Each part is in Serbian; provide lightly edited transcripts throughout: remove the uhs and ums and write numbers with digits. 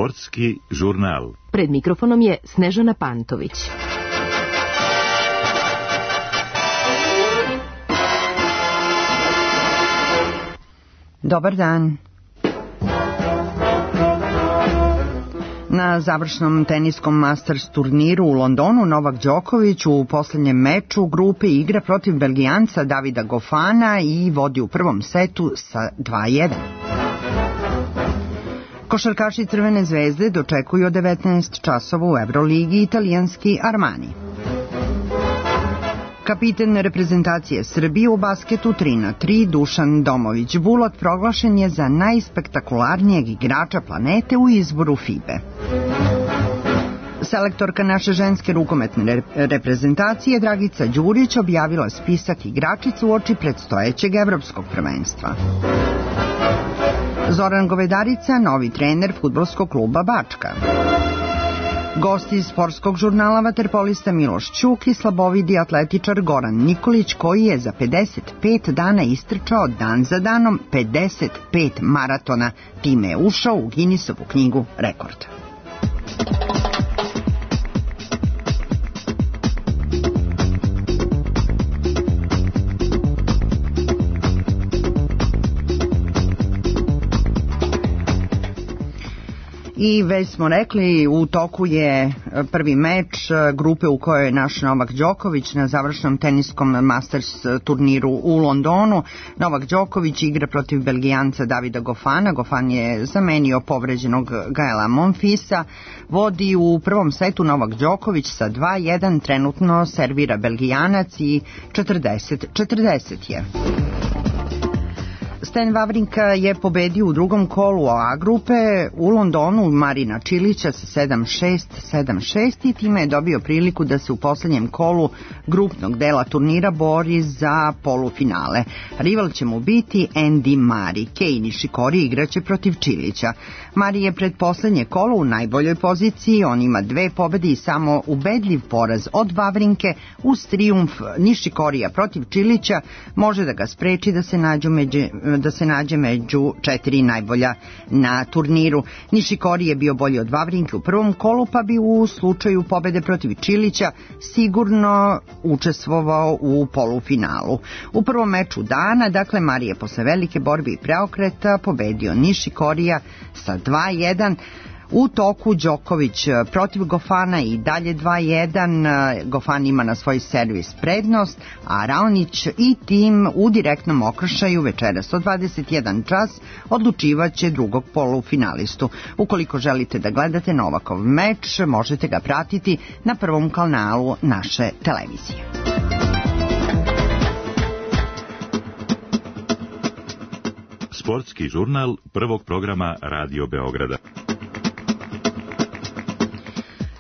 Sportski žurnal. Pred mikrofonom je Snežana Pantović. Dobar dan. Na završnom teniskom Masters turniru u Londonu Novak Đoković u posljednjem meču grupe igra protiv Belgijanca Davida Goffina i vodi u prvom setu sa 2:1. Košarkaši Crvene zvezde dočekuju od 19 časova u Euroligi italijanski Armani. Kapiten reprezentacije Srbije u basketu 3x3 Dušan Domović-Bulot proglašen je za najspektakularnijeg igrača planete u izboru FIBE. Selektorka naše ženske rukometne reprezentacije Dragica Đurić objavila spisak igračica uoči predstojećeg evropskog prvenstva. Zoran Govedarica, novi trener fudbalskog kluba Bačka. Gosti iz sportskog žurnala vaterpolista Miloš Ćuk i slabovidi atletičar Goran Nikolić, koji je za 55 dana istrčao dan za danom 55 maratona. Time je ušao u Guinnessovu knjigu rekorda. I već smo rekli, u toku je prvi meč grupe u kojoj je naš Novak Đoković na završnom teniskom Masters turniru u Londonu. Novak Đoković igra protiv Belgijanca Davida Goffina. Goffin je zamenio povređenog Gaela Monfilsa. Vodi u prvom setu Novak Đoković sa 2:1, trenutno servira Belgijanac i 40-40 je. Stan Wawrinka je pobedio u drugom kolu A grupe u Londonu Marina Čilića sa 7:6, 7:6 i time je dobio priliku da se u posljednjem kolu grupnog dela turnira bori za polufinale. Rival će mu biti Andy Murray. Kei Nishikori igraće protiv Čilića. Murray je pred posljednje kolo u najboljoj poziciji, on ima 2 pobede i samo ubedljiv poraz od Wawrinke. Uz trijumf Nishikorija protiv Čilića može da ga spreči da se nađe među 4 najbolja na turniru. Nishikori je bio bolji od Wawrinke u prvom kolu, pa bi u slučaju pobede protiv Čilića sigurno učestvovao u polufinalu. U prvom meču dana, dakle, Murray je posle velike borbe i preokreta pobedio Nishikorija sa 2:1. U toku Đoković protiv Goffina i dalje 2:1. Goffin ima na svoj servis prednost, a Raonić i tim u direktnom okršaju večeras od 21 čas odlučivaće drugog polufinalistu. Ukoliko želite da gledate Novakov meč, možete ga pratiti na prvom kanalu naše televizije. Sportski žurnal prvog programa Radio Beograda.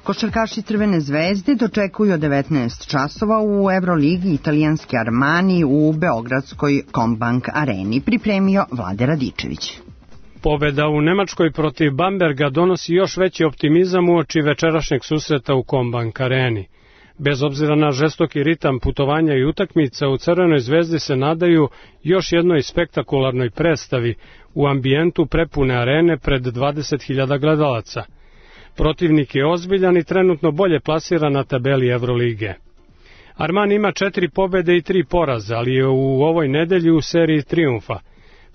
Košarkaši Crvene zvezde dočekuju od 19 časova u Euroligi italijanski Armani u beogradskoj Combank areni, pripremio Vlade Radičević. Pobeda u Nemačkoj protiv Bamberga donosi još veći optimizam uoči večerašnjeg susreta u Combank areni. Bez obzira na žestoki ritam putovanja i utakmica, u Crvenoj zvezdi se nadaju još jednoj spektakularnoj predstavi u ambijentu prepune arene pred 20.000 gledalaca. Protivnik je ozbiljan i trenutno bolje plasiran na tabeli Evrolige. Armani ima 4 pobede i 3 poraza, ali je u ovoj nedelji u seriji trijumfa.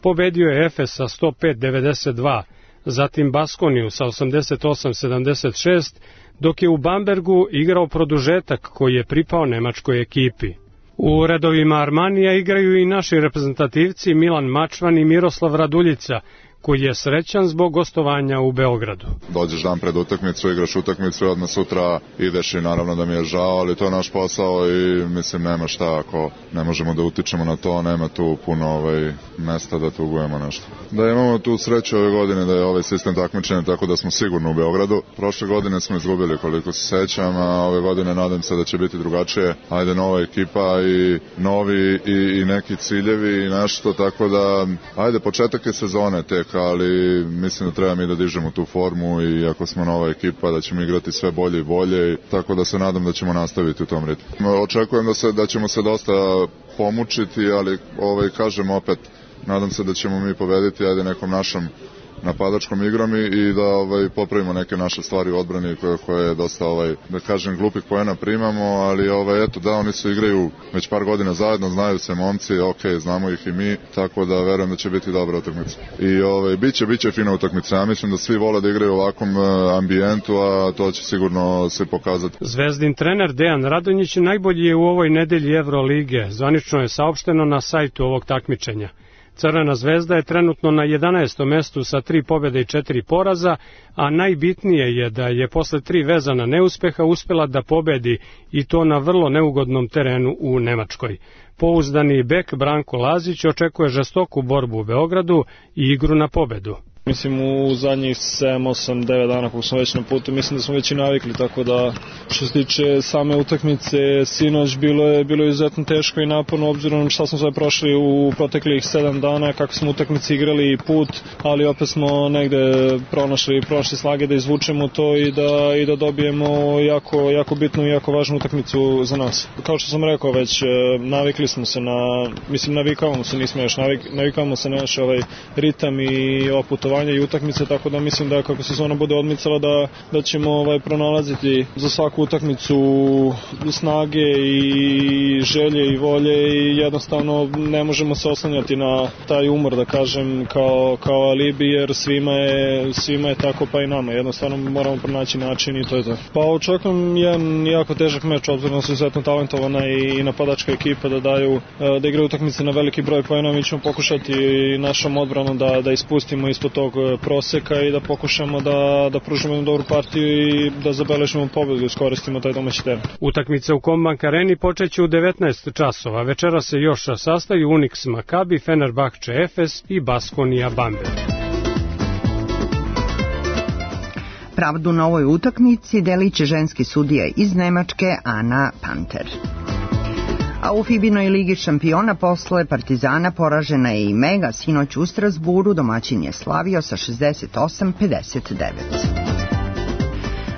Pobedio je Efes sa 105-92, zatim Baskoniju sa 88-76, dok je u Bambergu igrao produžetak koji je pripao nemačkoj ekipi. U redovima Armanija igraju i naši reprezentativci Milan Mačvan i Miroslav Raduljica, koji je srećan zbog gostovanja u Beogradu. Dođeš dan pred utakmicu, igraš utakmicu i odmah sutra ideš i naravno da mi je žao, ali to je naš posao i mislim nema šta ako ne možemo da utičemo na to, nema tu puno mesta da tugujemo nešto. Da imamo tu sreću ove godine da je ovaj sistem takmičenja tako da smo sigurno u Beogradu. Prošle godine smo izgubili koliko se sećam, a ove godine nadam se da će biti drugačije. Ajde, nova ekipa i novi i neki ciljevi i nešto, tako da ajde, početak je sezone tek, ali mislim da treba mi da dižemo tu formu i ako smo nova ekipa da ćemo igrati sve bolje i bolje, tako da se nadam da ćemo nastaviti u tom ritmu. Očekujem da ćemo se dosta pomučiti, ali kažem opet, nadam se da ćemo mi pobediti, ajde, nekom našom napadačkom igrom i da popravimo neke naše stvari u odbrani koje je dosta, da kažem, glupih poena primamo, ali eto da, oni se igraju već par godina zajedno, znaju se momci, znamo ih i mi, tako da verujem da će biti dobra utakmica. I biće fina utakmica. Ja mislim da svi vole da igraju u ovakvom ambijentu, a to će sigurno se pokazati. Zvezdin trener Dejan Radonjić najbolji je u ovoj nedelji Evrolige, zvanično je saopšteno na sajtu ovog takmičenja. Crvena zvezda je trenutno na 11. mestu sa 3 pobjede i 4 poraza, a najbitnije je da je posle 3 vezana neuspeha uspela da pobedi i to na vrlo neugodnom terenu u Nemačkoj. Pouzdani bek Branko Lazić očekuje žestoku borbu u Beogradu i igru na pobedu. Mislim u zadnjih 7, 8, 9 dana kako smo već na putu, mislim da smo već i navikli, tako da što se tiče same utakmice sinoć bilo je izuzetno teško i naporno obzirom šta smo sve prošli u proteklih 7 dana, kako smo utakmice igrali i put, ali opet smo negde pronašli snage da izvučemo to i da dobijemo jako bitnu i jako važnu utakmicu za nas. Kao što sam rekao već, navikli smo se navikavamo se, nismo još navikavamo se na naš ritam i putovanje i utakmice, tako da mislim da kako sezona bude odmicala da ćemo pronalaziti za svaku utakmicu snage i želje i volje i jednostavno ne možemo se oslanjati na taj umor, da kažem, kao alibi, jer svima je tako, pa i nama. Jednostavno moramo pronaći način i to je to. Pa očekujem jedan jako težak meč, obzirom da su izuzetno talentovana i napadačka ekipa da igraju utakmice na veliki broj poena. Mi ćemo pokušati našom odbranom da ispustimo ispod tog proseka i da pokušamo da pružimo jednu dobru partiju i da zabeležimo pobedu i iskoristimo taj domaći teren. Utakmice u Kombank Areni počeće u 19 časova. Večera se još sastaju Unix Makabi, Fenerbahče Efes i Baskonija Bamberg. Pravdu na ovoj utakmici delit će ženski sudija iz Nemačke Ana Panter. A u Fibinoj ligi šampiona posle Partizana poražena je i Mega sinoć u Strasburu, domaćin je slavio sa 68-59.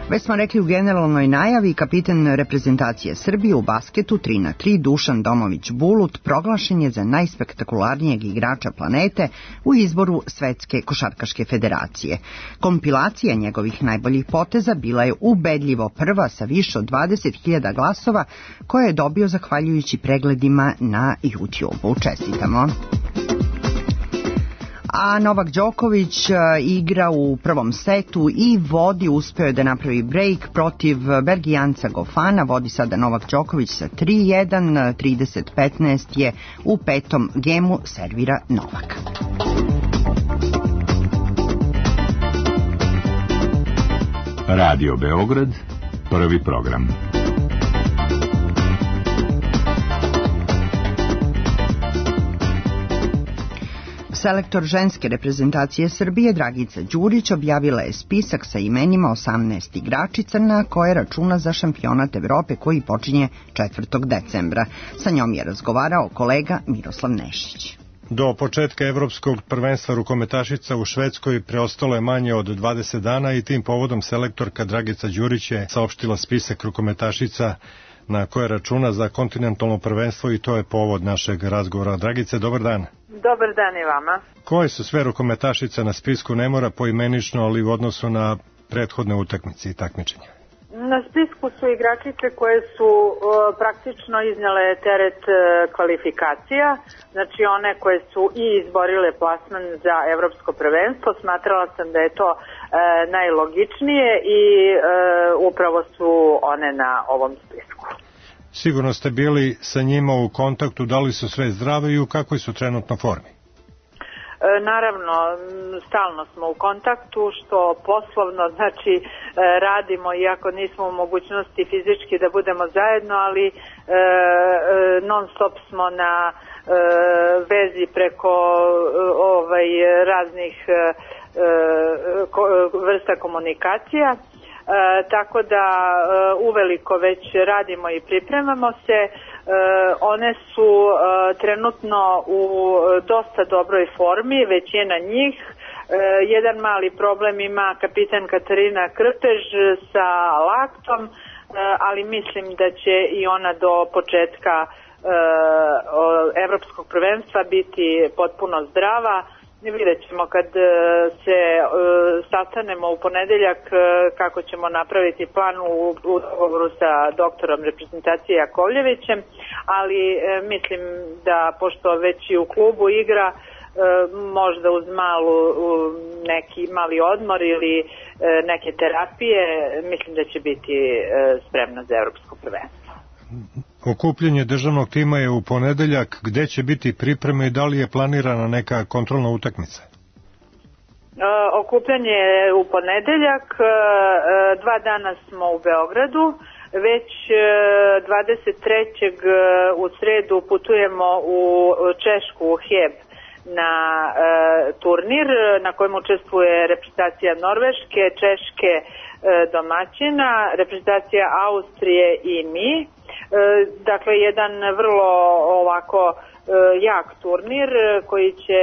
Već smo rekli u generalnoj najavi, kapiten reprezentacije Srbije u basketu 3x3 Dušan Domović Bulut proglašen je za najspektakularnijeg igrača planete u izboru Svetske košarkaške federacije. Kompilacija njegovih najboljih poteza bila je ubedljivo prva sa više od 20.000 glasova koje je dobio zahvaljujući pregledima na YouTube-u. Čestitamo! A Novak Đoković igra u prvom setu i uspeo je da napravi break protiv Belgijanca Gofana, vodi sada Novak Đoković sa 3-1, 30-15 je u petom gemu, servira Novak. Radio Beograd, prvi program. Selektor ženske reprezentacije Srbije Dragica Đurić objavila je spisak sa imenima 18 igračica na koje računa za šampionat Evrope koji počinje 4. decembra. Sa njom je razgovarao kolega Miroslav Nešić. Do početka evropskog prvenstva rukometašica u Švedskoj preostalo je manje od 20 dana i tim povodom selektorka Dragica Đurić je saopštila spisak rukometašica na koje računa za kontinentalno prvenstvo i to je povod našeg razgovora. Dragice, dobar dan. Dobar dan i vama. Koje su sve rukometašice na spisku, ne mora poimenično, ali u odnosu na prethodne utakmice i takmičenja? Na spisku su igračice koje su praktično iznjele teret kvalifikacija, znači one koje su i izborile plasman za evropsko prvenstvo. Smatrala sam da je to najlogičnije i upravo su one na ovom spisku. Sigurno ste bili sa njima u kontaktu, da li su sve zdrave i u kakvoj su trenutno formi? Naravno, stalno smo u kontaktu, što poslovno, znači radimo, iako nismo u mogućnosti fizički da budemo zajedno, ali non stop smo na vezi preko raznih vrsta komunikacija. Tako da uveliko već radimo i pripremamo se. One su trenutno u dosta dobroj formi, većina njih. Jedan mali problem ima kapitan Katarina Krpež sa laktom, ali mislim da će i ona do početka evropskog prvenstva biti potpuno zdrava Vidjet ćemo kad se sastanemo u ponedeljak kako ćemo napraviti plan u dogovoru sa doktorom reprezentacije Jakovljevićem, ali mislim da pošto već i u klubu igra, možda uz neki mali odmor ili neke terapije, mislim da će biti spremna za evropsko prvenstvo. Okupljanje državnog tima je u ponedeljak. Gde će biti pripreme i da li je planirana neka kontrolna utakmica? Okupljanje je u ponedeljak, 2 dana smo u Beogradu, već 23. u sredu putujemo u Češku, u Heb, na turnir na kojem učestvuje reprezentacija Norveške, Češke domaćina, reprezentacija Austrije i mi. Dakle, jedan vrlo ovako jak turnir koji će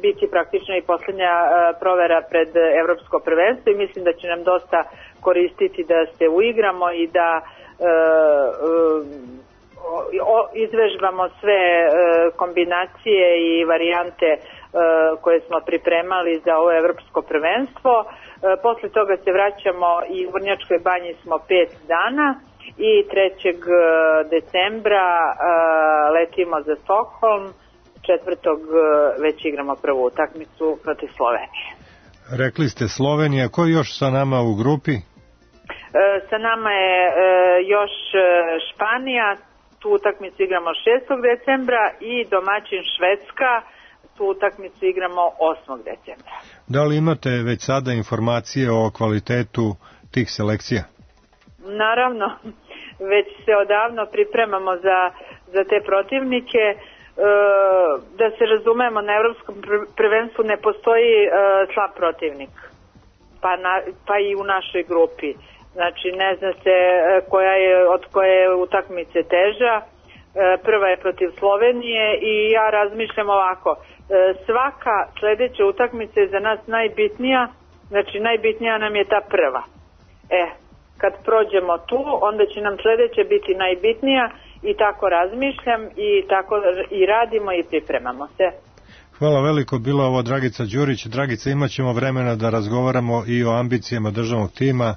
biti praktično i posljednja provera pred evropsko prvenstvo i mislim da će nam dosta koristiti da se uigramo i da izvežbamo sve kombinacije i varijante koje smo pripremali za ovo evropsko prvenstvo. Posle toga se vraćamo i u Vrnjačkoj banji smo 5 dana i 3. decembra letimo za Stockholm, 4. već igramo prvu utakmicu protiv Slovenije. Rekli ste Slovenija, ko je još sa nama u grupi? Sa nama je još Španija, tu utakmicu igramo 6. decembra i domaćin Švedska, tu utakmicu igramo 8. decembra. Da li imate već sada informacije o kvalitetu tih selekcija? Naravno, već se odavno pripremamo za te protivnike. Da se razumemo, na evropskom prvenstvu ne postoji slab protivnik, pa i u našoj grupi. Znači, ne zna se od koje utakmice teža. Prva je protiv Slovenije i ja razmišljam ovako. Svaka sledeća utakmica je za nas najbitnija, znači najbitnija nam je ta prva. Kad prođemo tu, onda će nam sledeća biti najbitnija i tako razmišljam i tako i radimo i pripremamo se. Hvala veliko, bila ovo Dragica Đurić. Dragica, imat ćemo vremena da razgovaramo i o ambicijama državnog tima.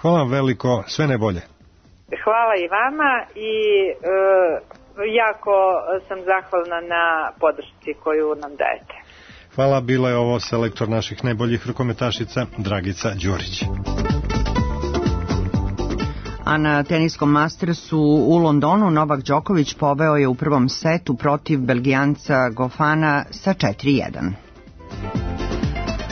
Hvala vam veliko, sve najbolje. Hvala i vama i jako sam zahvalna na podršci koju nam dajete. Hvala, bila je ovo selektor naših najboljih rukometašica Dragica Đurić. A na teniskom Mastersu u Londonu Novak Đoković poveo je u prvom setu protiv Belgijanca Gofana sa 4-1.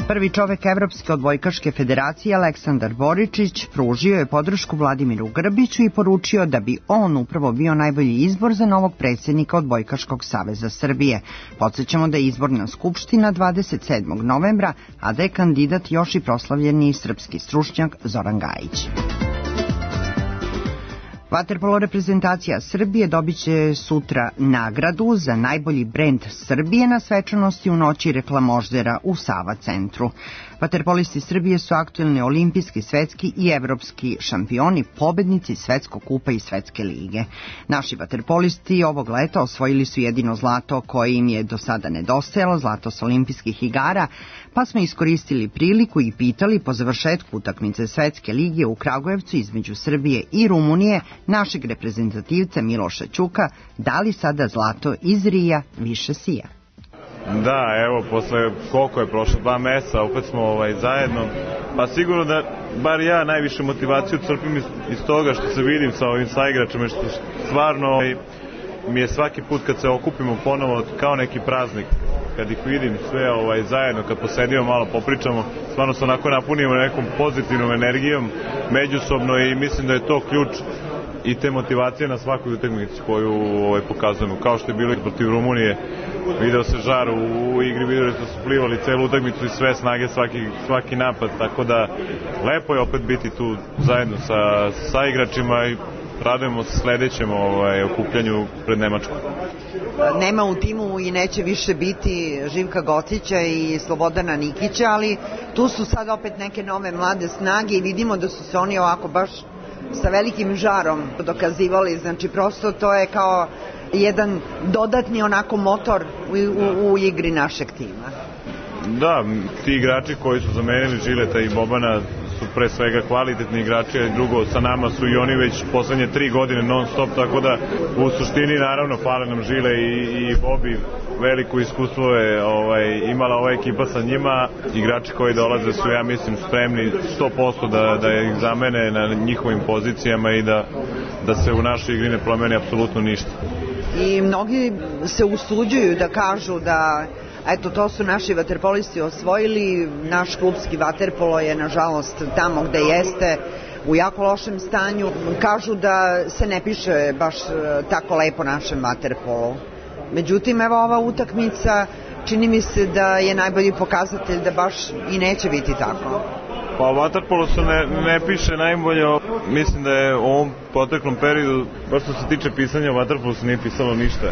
Prvi čovek Evropske odbojkaške federacije Aleksandar Boričić pružio je podršku Vladimiru Grbiću i poručio da bi on upravo bio najbolji izbor za novog predsjednika Odbojkaškog saveza Srbije. Podsjećamo da je izborna skupština 27. novembra, a da je kandidat još i proslavljeni srpski stručnjak Zoran Gajić. Vaterpolo reprezentacija Srbije dobit će sutra nagradu za najbolji brend Srbije na svečanosti u noći reklamoždera u Sava centru. Vaterpolisti Srbije su aktuelni olimpijski, svetski i evropski šampioni, pobednici Svetskog kupa i Svetske lige. Naši vaterpolisti ovog leta osvojili su jedino zlato koje im je do sada nedostajalo, zlato s olimpijskih igara, pa smo iskoristili priliku i pitali po završetku utakmice Svetske lige u Kragujevcu između Srbije i Rumunije našeg reprezentativca Miloša Ćuka da li sada zlato iz Rija više sija. Da, evo, posle koliko je prošlo 2 meseca, opet smo zajedno, pa sigurno da bar ja najviše motivaciju crpim iz toga što se vidim sa ovim saigračama, što stvarno mi je svaki put kad se okupimo ponovo kao neki praznik, kad ih vidim sve zajedno, kad posedimo malo popričamo, stvarno se onako napunimo nekom pozitivnom energijom međusobno i mislim da je to ključ i te motivacije na svakoj utakmici koju pokazujemo, kao što je bilo protiv Rumunije. Video se žar u igri, video da su plivali celu utakmicu i sve snage, svaki napad, tako da lepo je opet biti tu zajedno sa igračima i radujemo se sledećem okupljanju pred Nemačkom. Nema u timu i neće više biti Živka Gocića i Slobodana Nikića, ali tu su sad opet neke nove mlade snage i vidimo da su se oni ovako baš sa velikim žarom dokazivali, znači prosto to je kao jedan dodatni onako motor u igri našeg tima. Da, ti igrači koji su zamenili Žileta i Bobana su pre svega kvalitetni igrači, a drugo sa nama su i oni već poslednje 3 godine non stop, tako da u suštini naravno fale nam Žile i Bobi, veliko iskustvo je imala ova ekipa sa njima, igrači koji dolaze su, ja mislim, spremni 100% da ih zamene na njihovim pozicijama i da se u našoj igri ne promeni apsolutno ništa. I mnogi se usuđuju da kažu da eto, to su naši vaterpolisti osvojili, naš klubski vaterpolo je nažalost tamo gde jeste, u jako lošem stanju. Kažu da se ne piše baš tako lepo našem vaterpolu. Međutim, evo ova utakmica čini mi se da je najbolji pokazatelj da baš i neće biti tako. Pa o vaterpolu se ne piše najbolje, mislim da je u ovom proteklom periodu, baš što se tiče pisanja o vaterpolu se nije pisalo ništa.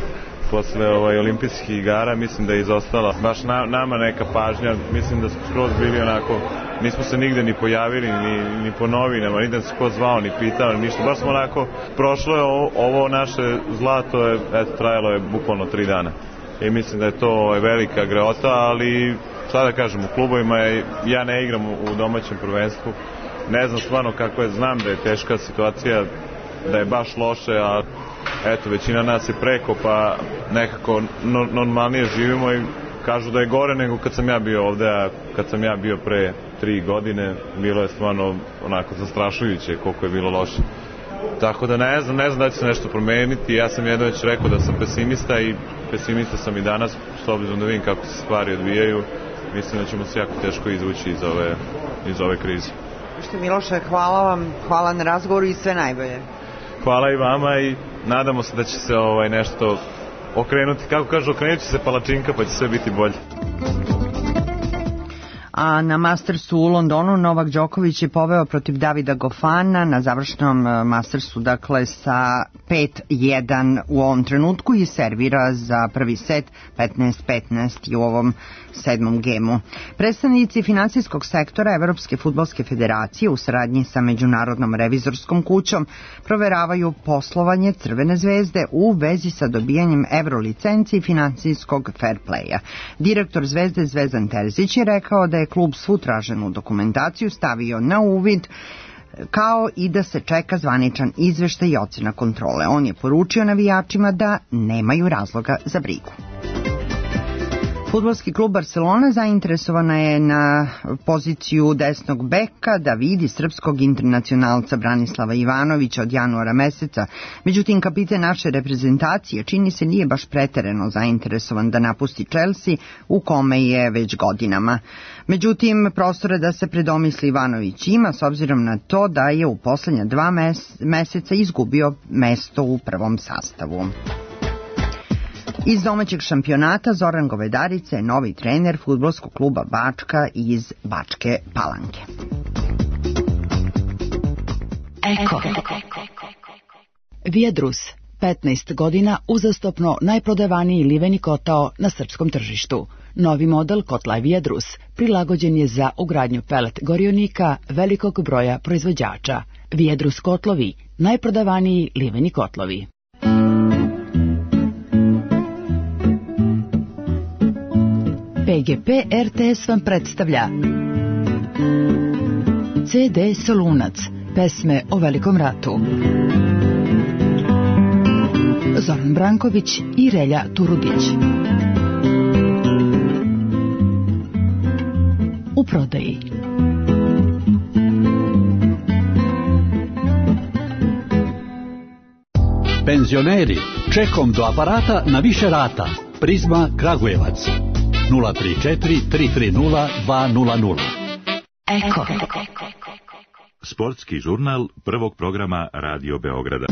Posle olimpijskih igara mislim da je izostala baš nama neka pažnja, mislim da smo skroz bili onako, nismo se nigde ni pojavili ni po novinama, nigde se ko zvao ni pitao ništa, baš smo onako, prošlo je ovo naše zlato, trajalo je bukvalno 3 dana i mislim da je to velika greota, ali šta da kažem, u klubovima ja ne igram u domaćem prvenstvu, ne znam stvarno kako je, znam da je teška situacija, da je baš loše, a eto, većina nas je preko, pa nekako normalnije živimo i kažu da je gore nego kad sam ja bio ovde, a kad sam ja bio pre 3 godine, bilo je stvarno onako zastrašujuće koliko je bilo loše. Tako da ne znam da će se nešto promeniti, ja sam jedno već rekao da sam pesimista i pesimista sam i danas, s obzirom da vidim kako se stvari odvijaju, mislim da ćemo se jako teško izvući iz ove krize. Miloše, hvala vam, hvala na razgovoru i sve najbolje. Hvala i vama i nadamo se da će se nešto okrenuti. Kako kažu, okrenut će se palačinka pa će sve biti bolje. A na Mastersu u Londonu Novak Đoković je poveo protiv Davida Gofana na završnom Mastersu, dakle sa 5-1 u ovom trenutku i servira za prvi set 15-15 u ovom 7. gemu. Predstavnici finansijskog sektora Evropske fudbalske federacije u saradnji sa Međunarodnom revizorskom kućom proveravaju poslovanje Crvene zvezde u vezi sa dobijanjem evrolicenci i finansijskog fair playa. Direktor Zvezde Zvezdan Terzić je rekao da je klub svu traženu dokumentaciju stavio na uvid, kao i da se čeka zvaničan izveštaj i ocena kontrole. On je poručio navijačima da nemaju razloga za brigu. Fudbalski klub Barcelona zainteresovana je na poziciju desnog beka da vidi srpskog internacionalca Branislava Ivanovića od januara meseca. Međutim, kapiten naše reprezentacije čini se nije baš preterano zainteresovan da napusti Chelsea u kome je već godinama. Međutim, prostora da se predomisli Ivanović ima s obzirom na to da je u poslednja 2 meseca izgubio mesto u prvom sastavu. Iz domaćeg šampionata Zoran Govedarica je novi trener fudbalskog kluba Bačka iz Bačke Palanke. Eko. Viadrus, 15 godina uzastopno najprodavaniji liveni kotao na srpskom tržištu. Novi model kotla Viadrus prilagođen je za ugradnju pelet gorionika velikog broja proizvođača. Viadrus kotlovi, najprodavaniji liveni kotlovi. PGP RTS vam predstavlja CD Solunac, pesme o Velikom ratu. Zoran Branković i Relja Turudić. U prodaji. Penzioneri, čekom do aparata na više rata. Prizma Kragujevac. 034 330 200. Eko. Sportski žurnal prvog programa Radio Beograda.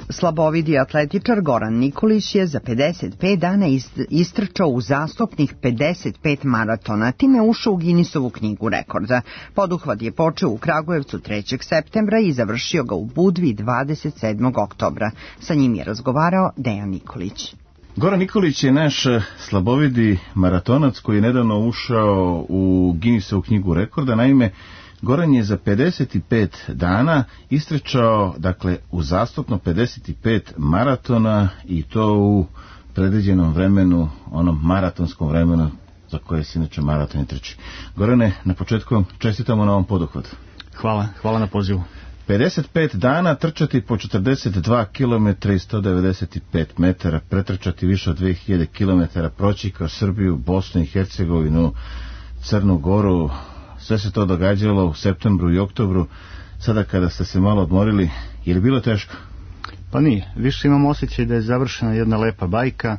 Slabovidi atletičar Goran Nikolić je za 55 dana istrčao uzastopnih 55 maratona, time ušao u Guinnessovu knjigu rekorda. Poduhvat je počeo u Kragujevcu 3. septembra i završio ga u Budvi 27. oktobra. Sa njim je razgovarao Dejan Nikolić. Goran Nikolić je naš slabovidi maratonac koji je nedavno ušao u Guinnessovu knjigu rekorda. Naime, Goran je za 55 dana istrčao, dakle, uzastopno 55 maratona i to u predviđenom vremenu, onom maratonskom vremenu za koje se inače maraton i trči. Gorane, na početku čestitamo na ovom poduhvatu. Hvala na pozivu. 55 dana trčati po 42 km i 195 metara, pretrčati više od 2000 km, proći kroz Srbiju, Bosnu i Hercegovinu, Crnu Goru, sve se to događalo u septembru i oktobru. Sada kada ste se malo odmorili, je li bilo teško? Pa nije, više imam osjećaj da je završena jedna lepa bajka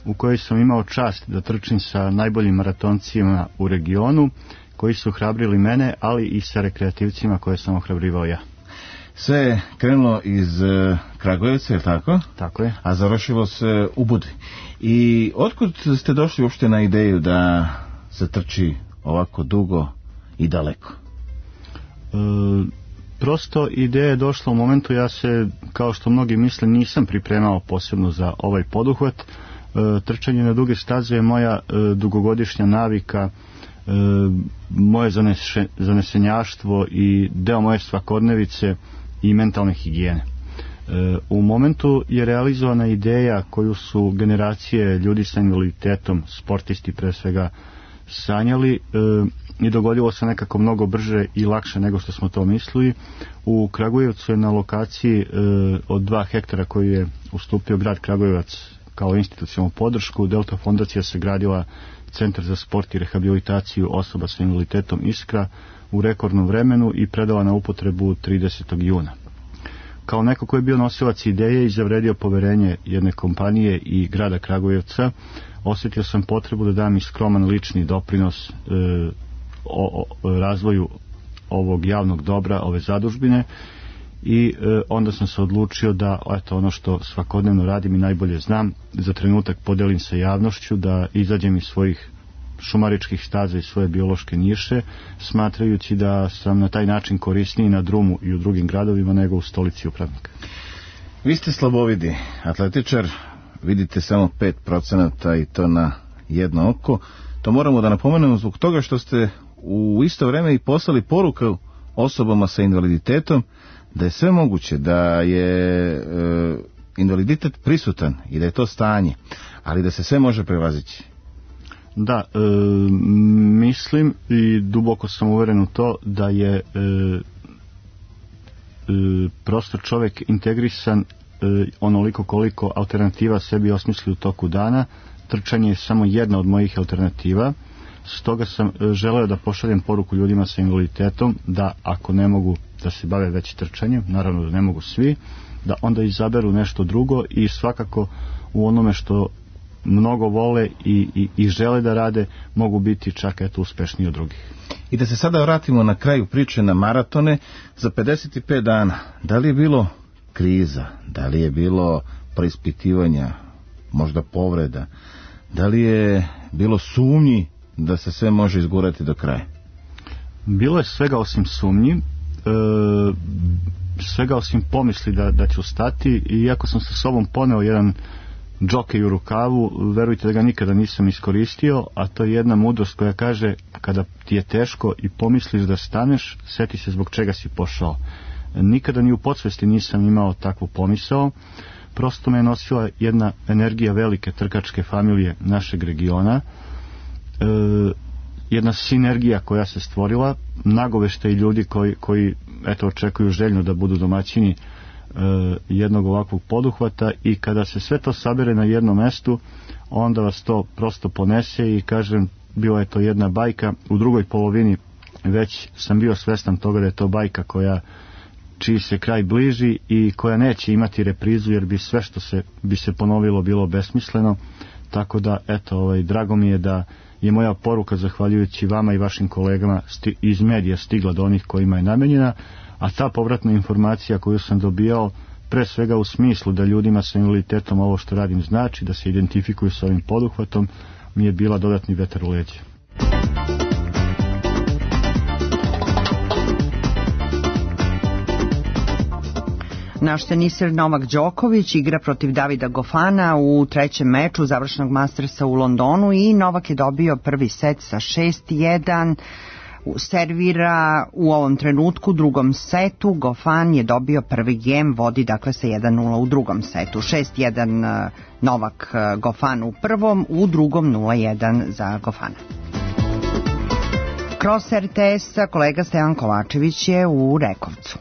u kojoj sam imao čast da trčim sa najboljim maratoncima u regionu, koji su ohrabrili mene, ali i sa rekreativcima koje sam ohrabrivao ja. Sve je krenulo iz Kragujevca, je li tako? Tako je. A završilo se u Budvi. I otkud ste došli uopšte na ideju da se trči ovako dugo i daleko? Prosto ideja je došla u momentu, ja se, kao što mnogi misle, nisam pripremao posebno za ovaj poduhvat. Trčanje na duge staze je moja dugogodišnja navika, moje zanesenjaštvo i deo moje svakodnevice i mentalne higijene. U momentu je realizovana ideja koju su generacije ljudi sa invaliditetom, sportisti pre svega, sanjali i dogodilo se nekako mnogo brže i lakše nego što smo to mislili. U Kragujevcu je na lokaciji od 2 hektara koji je ustupio grad Kragujevac kao institucionalnu podršku, Delta fondacija se gradila Centar za sport i rehabilitaciju osoba sa invaliditetom Iskra u rekordnom vremenu i predala na upotrebu 30. juna. Kao neko koji je bio nosilac ideje i zavredio poverenje jedne kompanije i grada Kragujevca, osjetio sam potrebu da dam i skroman lični doprinos razvoju ovog javnog dobra, ove zadužbine, i onda sam se odlučio da ono što svakodnevno radim i najbolje znam, za trenutak podelim sa javnošću, da izađem iz svojih šumaričkih staza i svoje biološke niše, smatrajući da sam na taj način korisniji na drumu i u drugim gradovima nego u stolici upravnika. Vi ste slabovidi atletičar, vidite samo 5% i to na jedno oko. To moramo da napomenemo zbog toga što ste u isto vreme i poslali poruku osobama sa invaliditetom da je sve moguće, da je invaliditet prisutan i da je to stanje, ali da se sve može prevazići. Da, mislim i duboko sam uveren u to da je prosto čovjek integrisan onoliko koliko alternativa sebi osmisli u toku dana. Trčanje je samo jedna od mojih alternativa. Stoga sam želeo da pošaljem poruku ljudima sa invaliditetom da ako ne mogu da se bave već trčanjem, naravno da ne mogu svi, da onda izaberu nešto drugo i svakako u onome što mnogo vole i žele da rade mogu biti čak uspešniji od drugih. I da se sada vratimo na kraju priče na maratone. Za 55 dana, da li je bilo kriza, da li je bilo preispitivanja, možda povreda, da li je bilo sumnji da se sve može izgurati do kraja? Bilo je svega osim sumnji, svega osim pomisli da ću stati, i iako sam sa sobom poneo jedan džokej u rukavu, verujte da ga nikada nisam iskoristio, a to je jedna mudrost koja kaže: kada ti je teško i pomisliš da staneš, seti se zbog čega si pošao. Nikada ni u podsvesti nisam imao takvu pomisao, prosto me je nosila jedna energija velike trkačke familije našeg regiona, jedna sinergija koja se stvorila, nagoveštaj ljudi koji očekuju željno da budu domaćini jednog ovakvog poduhvata, i kada se sve to sabere na jednom mestu, onda vas to prosto ponese i kažem, bila je to jedna bajka. U drugoj polovini već sam bio svestan toga da je to bajka čiji se kraj bliži i koja neće imati reprizu, jer bi sve što bi se ponovilo bilo besmisleno. Tako da drago mi je da je moja poruka, zahvaljujući vama i vašim kolegama iz medija, stigla do onih kojima je namenjena, a ta povratna informacija koju sam dobijao, pre svega u smislu da ljudima sa invaliditetom ovo što radim znači, da se identifikuju sa ovim poduhvatom, mi je bila dodatni vetar u leđa. Naš teniser Novak Đoković igra protiv Davida Gofana u trećem meču završnog Mastersa u Londonu i Novak je dobio prvi set sa 6-1. servira u ovom trenutku drugom setu. Gofan je dobio prvi gem, vodi dakle sa 1-0 u drugom setu. 6-1 Novak Gofan u prvom, u drugom 0-1 za Gofana. Kroz RTS-a kolega Stevan Kovačević je u Rekovcu.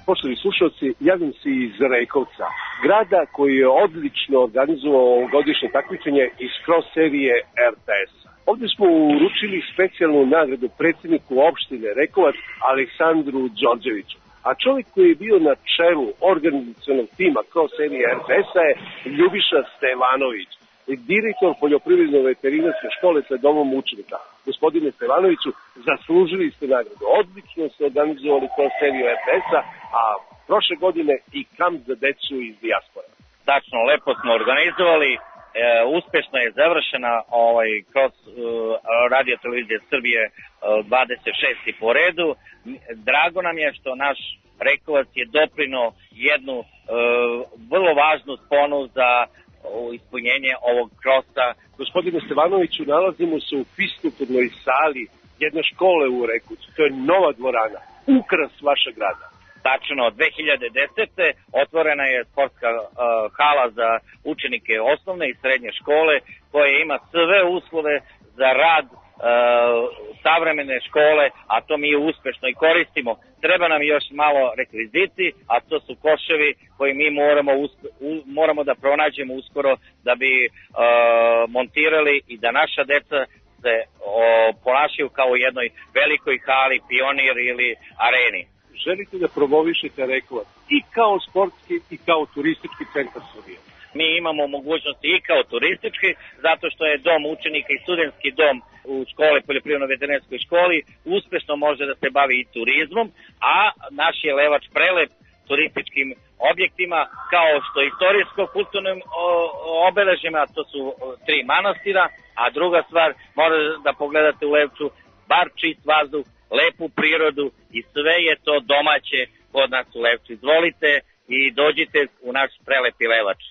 Poštovani slušalci, javim se iz Rekovca, grada koji je odlično organizovao ovogodišnje takmičenje iz cross serije RTS-a. Ovdje smo uručili specijalnu nagradu predsjedniku opštine Rekovac Aleksandru Đorđeviću, a čovjek koji je bio na čelu organizacionog tima cross serije RTS-a je Ljubiša Stevanović, direktor poljoprivredno-veterinarske škole sa domom učenika. Gospodine Stevanoviću, zaslužili ste nagradu. Odlično ste organizovali cross seriju RTS-a, a prošle godine i kamp za decu iz dijaspora. Tačno, lepo smo organizovali, uspešno je završena kroz Radio Televizije Srbije 26. po redu. Drago nam je što naš Rekovac je doprino jednu vrlo važnu sponu za ispunjenje ovog krosa. Gospodine Stevanoviću, nalazimo se u fiskulturnoj sali jedne škole u Rekovcu. To je nova dvorana, ukras vašeg grada. Tačno, 2010. otvorena je sportska hala za učenike osnovne i srednje škole koja ima sve uslove za rad savremene škole, a to mi uspešno i koristimo. Treba nam još malo rekviziti, a to su koševi koji mi moramo da pronađemo uskoro da bi montirali i da naša deca se ponašaju kao u jednoj velikoj hali, Pionir ili Areni. Želite da promovišete Rekovac i kao sportski i kao turistički centar Srbije? Mi imamo mogućnosti i kao turistički, zato što je dom učenika i studentski dom u škole, poljoprivredno-veterinarskoj školi, uspešno može da se bavi i turizmom, a naš je Levač prelep turističkim objektima, kao što istorijsko-kulturnim obeležima, to su 3 manastira, a druga stvar, morate da pogledate u Levču, bar čist vazduh, lepu prirodu i sve je to domaće kod nas u Levču. Izvolite i dođite u naš prelepi Levač.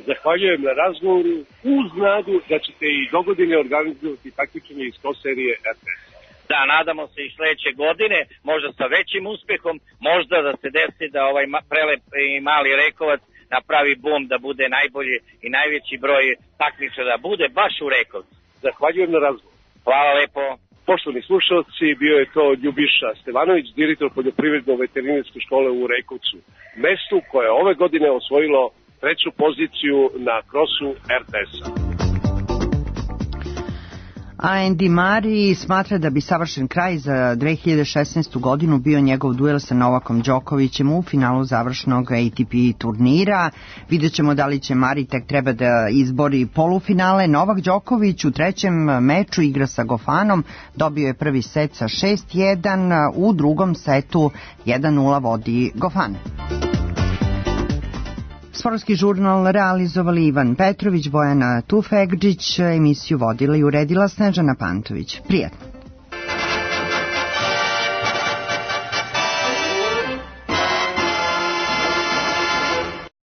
Zahvaljujem na razgovoru uz nadu da ćete i dogodine organizovati takmičenje iz cross serije RTS. Da, nadamo se i sledeće godine, možda sa većim uspehom, možda da se desi da ovaj prelep i mali Rekovac napravi bum, da bude najbolji i najveći broj takmičara, bude baš u Rekovcu. Zahvaljujem na razgovoru. Hvala lepo. Poštovani slušalci, bio je to Ljubiša Stevanović, direktor poljoprivredno-veterinarske škole u Rekovcu, mestu koje je ove godine osvojilo 3. poziciju na krosu RTS-a. Andy Murray smatra da bi savršen kraj za 2016. godinu bio njegov duel sa Novakom Đokovićem u finalu završnog ATP turnira. Vidjet ćemo da li će Murray tek treba da izbori polufinale. Novak Đoković u trećem meču igra sa Gofanom, dobio je prvi set sa 6-1, u drugom setu 1-0 vodi Gofan. Sportski žurnal realizovali Ivan Petrović, Bojana Tufegđić, emisiju vodila i uredila Snežana Pantović. Prijatno.